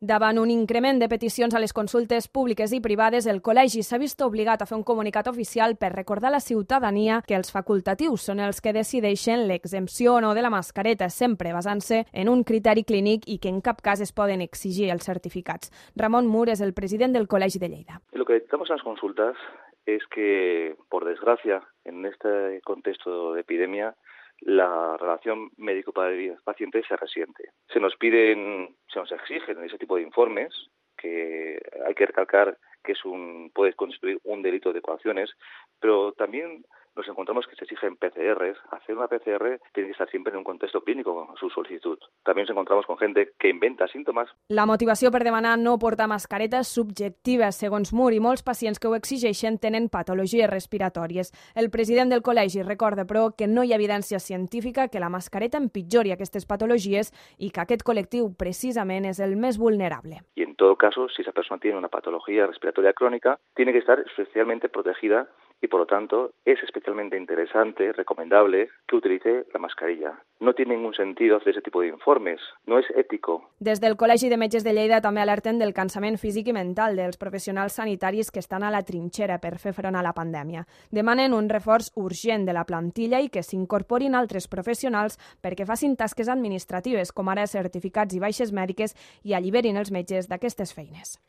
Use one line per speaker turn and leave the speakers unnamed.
Davant un increment de peticions a les consultes públiques i privades, el col·legi s'ha vist obligat a fer un comunicat oficial per recordar a la ciutadania que els facultatius són els que decideixen l'exempció o no de la mascareta, sempre basant-se en un criteri clínic i que en cap cas es poden exigir els certificats. Ramon Mur és el president del Col·legi de Lleida.
Lo que detectamos en las consultas es que, por desgracia, en este contexto de epidemia, la relación médico-paciente se resiente. Se nos exigen ese tipo de informes, que hay que recalcar que puede constituir un delito de coacciones, pero también nos encontramos que se exigen PCRs. Hacer una PCR tiene que estar siempre en un contexto clínico, su solicitud. También nos encontramos con gente que inventa síntomas.
La motivació per demanar no portar mascareta és subjectiva, segons Mur, i molts pacients que ho exigeixen tenen patologies respiratòries. El president del col·legi recorda, però, que no hi ha evidència científica que la mascareta empitjori aquestes patologies i que aquest col·lectiu, precisament, és el més vulnerable.
Y en todo caso, si esa persona tiene una patología respiratoria crónica, tiene que estar especialmente protegida y, por lo tanto, es especialmente interesante, recomendable, que utilice la mascarilla. No tiene ningún sentido hacer ese tipo de informes, no es ético.
Des del Col·legi de Metges de Lleida també alerten del cansament físic i mental dels professionals sanitaris que estan a la trinxera per fer front a la pandèmia. Demanen un reforç urgent de la plantilla i que s'incorporin altres professionals perquè facin tasques administratives, com ara certificats i baixes mèdiques, i alliberin els metges d'aquestes feines.